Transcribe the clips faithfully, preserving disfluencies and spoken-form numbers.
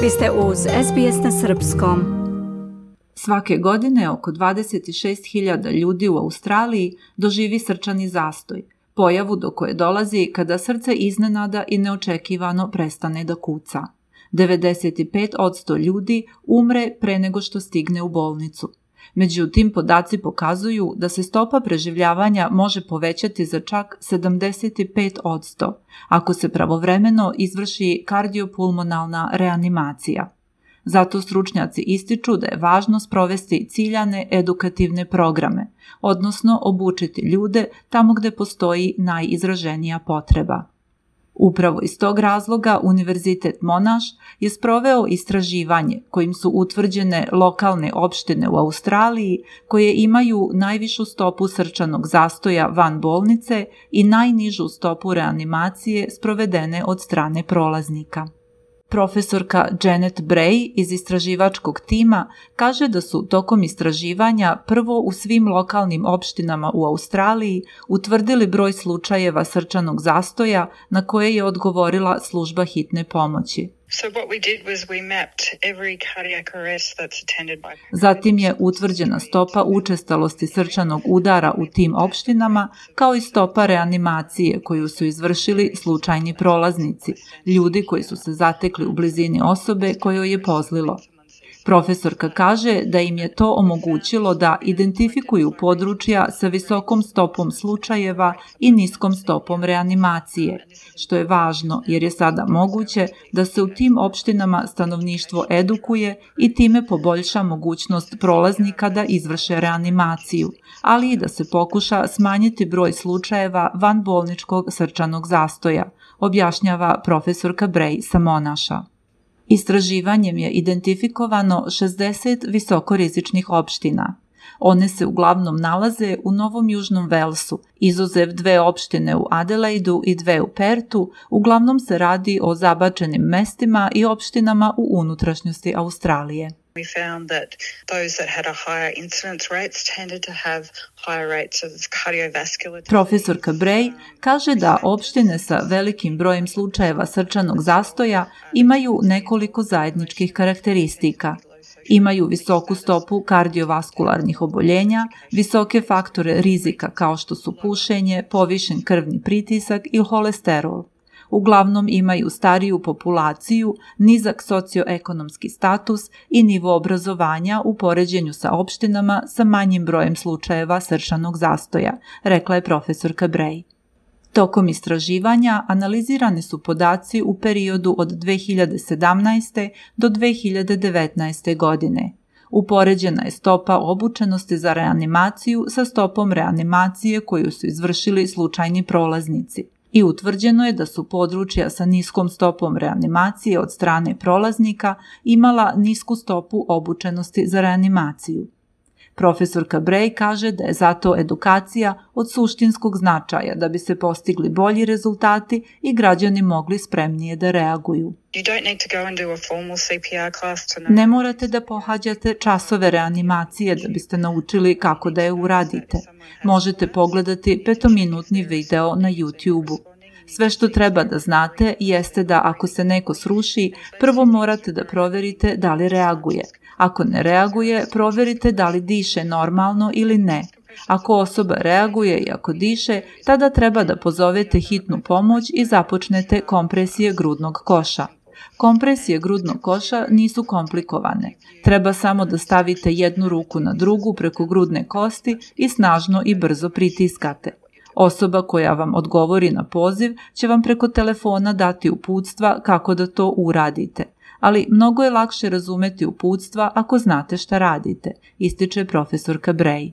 Vi ste uz S B S na srpskom. Svake godine oko dvadeset šest hiljada ljudi u Australiji doživi srčani zastoj, pojavu do koje dolazi kada srce iznenada i neočekivano prestane da kuca. devedeset pet posto ljudi umre pre nego što stigne u bolnicu. Međutim, podaci pokazuju da se stopa preživljavanja može povećati za čak sedamdeset pet posto ako se pravovremeno izvrši kardiopulmonalna reanimacija. Zato stručnjaci ističu da je važno sprovesti ciljane edukativne programe, odnosno obučiti ljude tamo gde postoji najizraženija potreba. Upravo iz tog razloga Univerzitet Monash je sproveo istraživanje kojim su utvrđene lokalne opštine u Australiji koje imaju najvišu stopu srčanog zastoja van bolnice i najnižu stopu reanimacije sprovedene od strane prolaznika. Profesorka Janet Bray iz istraživačkog tima kaže da su tokom istraživanja prvo u svim lokalnim opštinama u Australiji utvrdili broj slučajeva srčanog zastoja na koje je odgovorila služba hitne pomoći. Zatim je utvrđena stopa učestalosti srčanog udara u tim opštinama, kao i stopa reanimacije koju su izvršili slučajni prolaznici, ljudi koji su se zatekli u blizini osobe kojoj je pozlilo. Profesorka kaže da im je to omogućilo da identifikuju područja sa visokom stopom slučajeva i niskom stopom reanimacije, što je važno jer je sada moguće da se u tim opštinama stanovništvo edukuje i time poboljša mogućnost prolaznika da izvrše reanimaciju, ali i da se pokuša smanjiti broj slučajeva vanbolničkog srčanog zastoja, objašnjava profesorka Bray sa Monasha. Istraživanjem je identifikovano šezdeset visokorizičnih opština. One se uglavnom nalaze u Novom Južnom Velsu, izuzev dve opštine u Adelaidu i dve u Pertu, uglavnom se radi o zabačenim mestima i opštinama u unutrašnjosti Australije. We found that those that had a higher incidence rates tended to have higher rates of cardiovascular. Profesorka Bray kaže da opštine sa velikim brojem slučajeva srčanog zastoja imaju nekoliko zajedničkih karakteristika. Imaju visoku stopu kardiovaskularnih oboljenja, visoke faktore rizika kao što su pušenje, povišen krvni pritisak i holesterol. Uglavnom imaju stariju populaciju, nizak socioekonomski status i nivo obrazovanja u poređenju sa opštinama sa manjim brojem slučajeva srčanog zastoja, rekla je profesorka Bray. Tokom istraživanja analizirani su podaci u periodu od dve hiljade sedamnaeste. do dve hiljade devetnaeste. godine. Upoređena je stopa obučenosti za reanimaciju sa stopom reanimacije koju su izvršili slučajni prolaznici. I utvrđeno je da su područja sa niskom stopom reanimacije od strane prolaznika imala nisku stopu obučenosti za reanimaciju. Profesorka Bray kaže da je zato edukacija od suštinskog značaja da bi se postigli bolji rezultati i građani mogli spremnije da reaguju. Ne morate da pohađate časove reanimacije da biste naučili kako da je uradite. Možete pogledati petominutni video na YouTube-u. Sve što treba da znate jeste da ako se neko sruši, prvo morate da proverite da li reaguje. Ako ne reaguje, proverite da li diše normalno ili ne. Ako osoba reaguje i ako diše, tada treba da pozovete hitnu pomoć i započnete kompresije grudnog koša. Kompresije grudnog koša nisu komplikovane. Treba samo da stavite jednu ruku na drugu preko grudne kosti i snažno i brzo pritiskate. Osoba koja vam odgovori na poziv će vam preko telefona dati uputstva kako da to uradite. Ali mnogo je lakše razumeti uputstva ako znate šta radite, ističe profesorka Bray.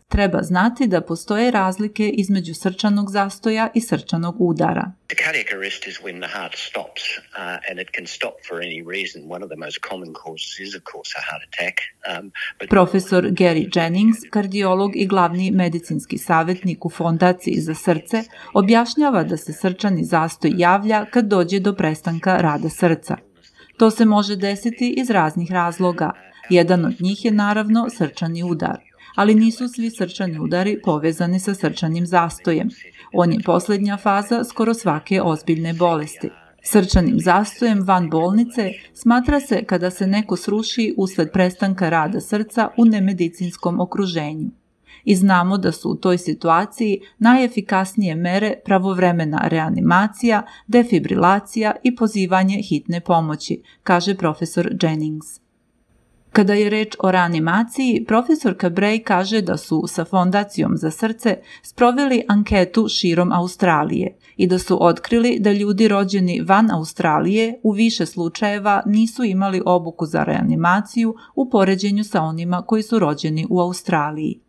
Treba znati da postoje razlike između srčanog zastoja i srčanog udara. Cardiac arrest is when the heart stops uh, and it can stop for any reason. One of the most common causes is of course a heart attack. Um, but... Profesor Gary Jennings, kardiolog i glavni medicinski savjetnik u Fondaciji za srce, objašnjava da se srčani zastoj javlja kad dođe do prestanka rada srca. To se može desiti iz raznih razloga. Jedan od njih je naravno srčani udar. Ali nisu svi srčani udari povezani sa srčanim zastojem. On je posljednja faza skoro svake ozbiljne bolesti. Srčanim zastojem van bolnice smatra se kada se neko sruši usled prestanka rada srca u nemedicinskom okruženju. I znamo da su u toj situaciji najefikasnije mere pravovremena reanimacija, defibrilacija i pozivanje hitne pomoći, kaže profesor Jennings. Kada je reč o reanimaciji, profesorka Bray kaže da su sa Fondacijom za srce sproveli anketu širom Australije i da su otkrili da ljudi rođeni van Australije u više slučajeva nisu imali obuku za reanimaciju u poređenju sa onima koji su rođeni u Australiji.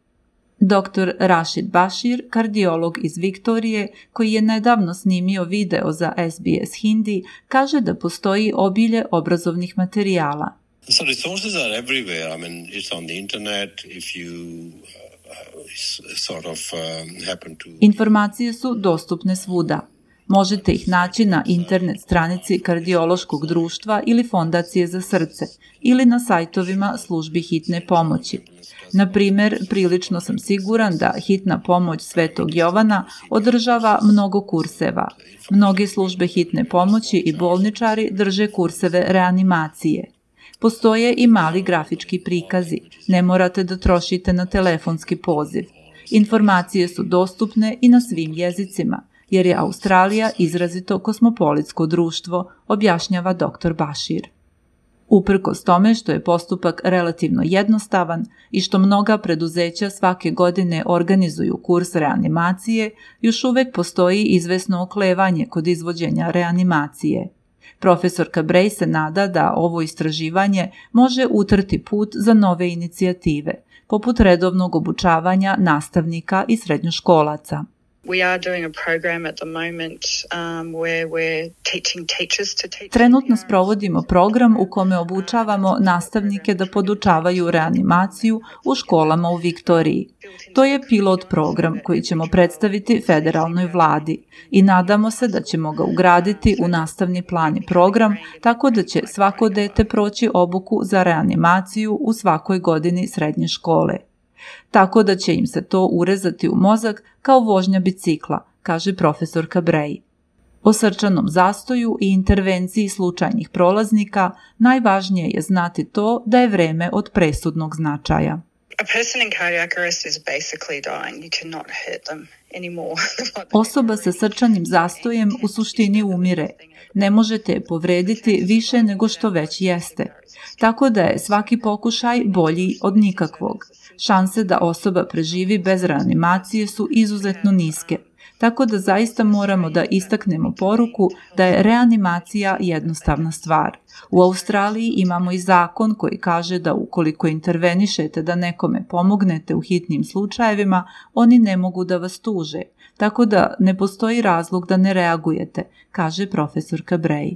doktor Rashid Bashir, kardiolog iz Viktorije, koji je nedavno snimio video za S B S Hindi, kaže da postoji obilje obrazovnih materijala. So resources are everywhere. I mean, it's on the internet. If you uh, sort of um, happen to... Informacije su dostupne svuda. Možete ih naći na internet stranici Kardiološkog društva ili Fondacije za srce ili na sajtovima službi hitne pomoći. Na primjer, prilično sam siguran da hitna pomoć Svetog Jovana održava mnogo kurseva. Mnoge službe hitne pomoći i bolničari drže kurseve reanimacije. Postoje i mali grafički prikazi, ne morate da trošite na telefonski poziv. Informacije su dostupne i na svim jezicima, jer je Australija izrazito kosmopolitsko društvo, objašnjava doktor Bashir. Uprkos tome što je postupak relativno jednostavan i što mnoga preduzeća svake godine organizuju kurs reanimacije, još uvek postoji izvesno oklevanje kod izvođenja reanimacije. Profesorka Bray se nada da ovo istraživanje može utrti put za nove inicijative, poput redovnog obučavanja nastavnika i srednjoškolaca. Trenutno sprovodimo program u kome obučavamo nastavnike da podučavaju reanimaciju u školama u Viktoriji. To je pilot program koji ćemo predstaviti federalnoj vladi i nadamo se da ćemo ga ugraditi u nastavni plan i program tako da će svako dete proći obuku za reanimaciju u svakoj godini srednje škole. Tako da će im se to urezati u mozak kao vožnja bicikla, kaže profesorka Bray. O srčanom zastoju i intervenciji slučajnih prolaznika najvažnije je znati to da je vreme od presudnog značaja. Osoba sa srčanim zastojem u suštini umire. Ne možete je povrediti više nego što već jeste. Tako da je svaki pokušaj bolji od nikakvog. Šanse da osoba preživi bez reanimacije su izuzetno niske. Tako da zaista moramo da istaknemo poruku da je reanimacija jednostavna stvar. U Australiji imamo i zakon koji kaže da ukoliko intervenišete da nekome pomognete u hitnim slučajevima, oni ne mogu da vas tuže. Tako da ne postoji razlog da ne reagujete, kaže profesorka Bray.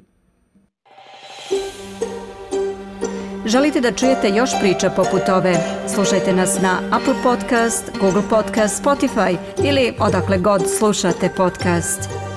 Želite da čujete još priča poput ove? Slušajte nas na Apple Podcast, Google Podcast, Spotify ili odakle god slušate podcast.